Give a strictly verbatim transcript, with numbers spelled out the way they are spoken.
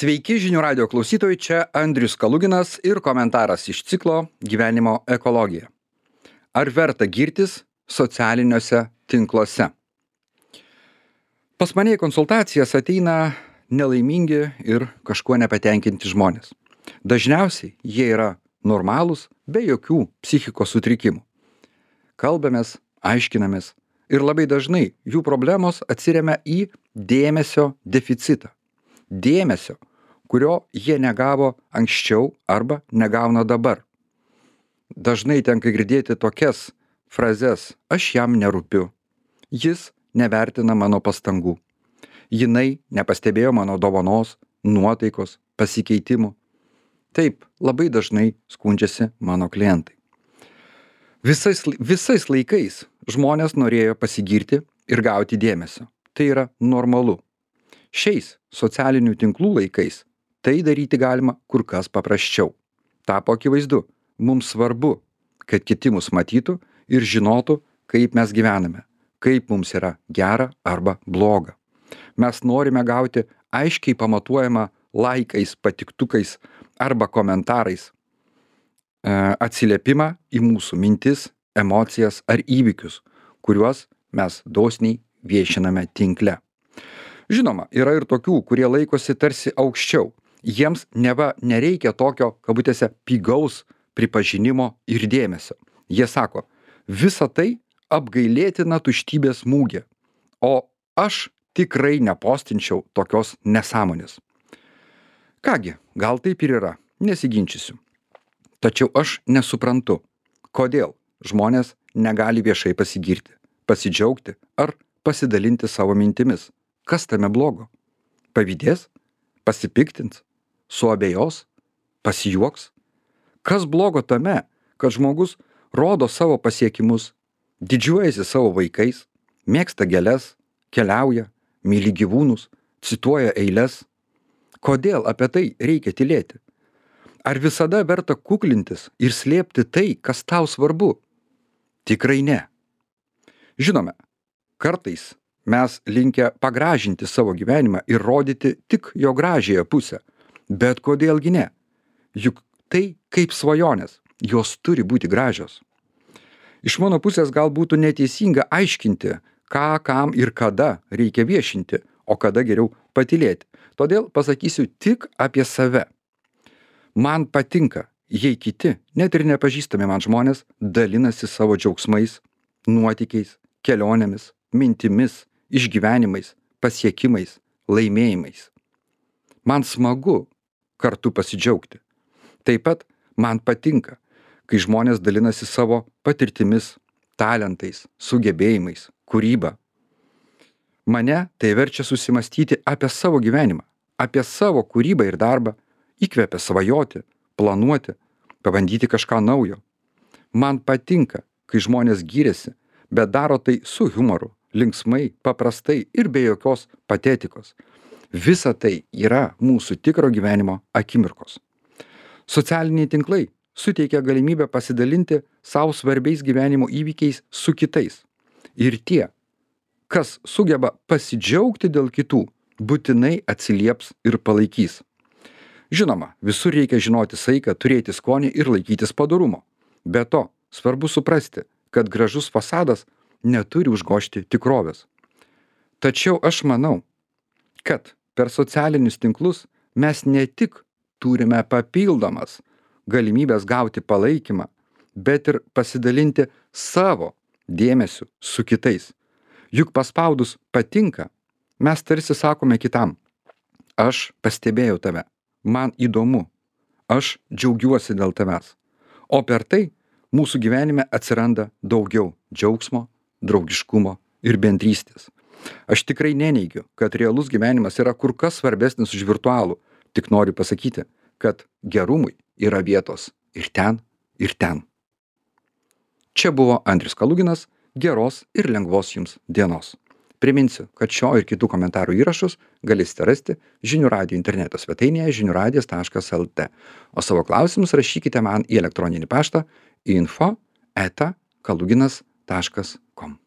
Sveiki žinių radio klausytojai, čia Andrius Kaluginas ir komentaras iš ciklo Gyvenimo ekologija. Ar verta girtis socialiniuose tinkluose? Pas mane į konsultacijas ateina nelaimingi ir kažkuo nepatenkinti žmonės. Dažniausiai jie yra normalūs, be jokių psichikos sutrikimų. Kalbamės, aiškinamės ir labai dažnai jų problemos atsiremia į dėmesio deficitą. Dėmesio, kurio jie negavo anksčiau arba negauna dabar. Dažnai tenka girdėti tokias frazes: aš jam nerūpiu, jis nevertina mano pastangų, jinai nepastebėjo mano dovanos, nuotaikos, pasikeitimų. Taip, labai dažnai skundžiasi mano klientai. Visais, visais laikais žmonės norėjo pasigirti ir gauti dėmesio. Tai yra normalu. Šiais socialinių tinklų laikais tai daryti galima kur kas paprasčiau. Tapo akivaizdu, mums svarbu, kad kiti mus matytų ir žinotų, kaip mes gyvename, kaip mums yra gera arba bloga. Mes norime gauti aiškiai pamatuojamą laikais, patiktukais arba komentarais e, atsiliepimą į mūsų mintis, emocijas ar įvykius, kuriuos mes dosniai viešiname tinkle. Žinoma, yra ir tokių, kurie laikosi tarsi aukščiau. Jiems neva nereikia tokio, kabutėse, pigaus pripažinimo ir dėmesio. Jie sako, visa tai apgailėtina tuštybės mūgė, o aš tikrai nepostinčiau tokios nesąmonės. Kągi, gal taip ir yra, nesiginčysiu. Tačiau aš nesuprantu, kodėl žmonės negali viešai pasigirti, pasidžiaugti ar pasidalinti savo mintimis. Kas tame blogo? Pavydės? Pasipiktins? Suabejos? Pasijuoks? Kas blogo tame, kad žmogus rodo savo pasiekimus, didžiuojasi savo vaikais, mėgsta gėles, keliauja, myli gyvūnus, cituoja eiles? Kodėl apie tai reikia tylėti? Ar visada verta kuklintis ir slėpti tai, kas tau svarbu? Tikrai ne. Žinome, kartais mes linkę pagražinti savo gyvenimą ir rodyti tik jo gražiąją pusę. Bet kodėlgi ne? Juk tai kaip svajonės, jos turi būti gražios. Iš mano pusės gal būtų neteisinga aiškinti, ką, kam ir kada reikia viešinti, o kada geriau patylėti. Todėl pasakysiu tik apie save. Man patinka, jei kiti, net ir nepažįstami man žmonės, dalinasi savo džiaugsmais, nuotykiais, kelionėmis, mintimis, išgyvenimais, pasiekimais, laimėjimais. Man smagu kartu pasidžiaugti. Taip pat man patinka, kai žmonės dalinasi savo patirtimis, talentais, sugebėjimais, kūryba. Mane tai verčia susimastyti apie savo gyvenimą, apie savo kūrybą ir darbą, įkvepia svajoti, planuoti, pabandyti kažką naujo. Man patinka, kai žmonės giriasi, bet daro tai su humoru, linksmai, paprastai ir be jokios patetikos. Visa tai yra mūsų tikro gyvenimo akimirkos. Socialiniai tinklai suteikia galimybę pasidalinti savo svarbiais gyvenimo įvykiais su kitais. Ir tie, kas sugeba pasidžiaugti dėl kitų, būtinai atsilieps ir palaikys. Žinoma, visur reikia žinoti saiką, turėti skonį ir laikytis padorumo. Be to, svarbu suprasti, kad gražus fasadas neturi užgožti tikrovės. Tačiau aš manau, kad per socialinius tinklus mes ne tik turime papildomas galimybės gauti palaikymą, bet ir pasidalinti savo dėmesiu su kitais. Juk paspaudus patinka, mes tarsi sakome kitam: aš pastebėjau tave, man įdomu, aš džiaugiuosi dėl tavęs. O per tai mūsų gyvenime atsiranda daugiau džiaugsmo, draugiškumo ir bendrystės. Aš tikrai neneigiu, kad realus gyvenimas yra kur kas svarbesnis už virtualų. Tik noriu pasakyti, kad gerumui yra vietos ir ten, ir ten. Čia buvo Andrius Kaluginas. Geros ir lengvos jums dienos. Priminsiu, kad šio ir kitų komentarų įrašus galėsite rasti Žinių radijo interneto svetainėje žinių radijas taškas el tė. O savo klausimus rašykite man į elektroninį paštą info eta kaluginas taškas kom.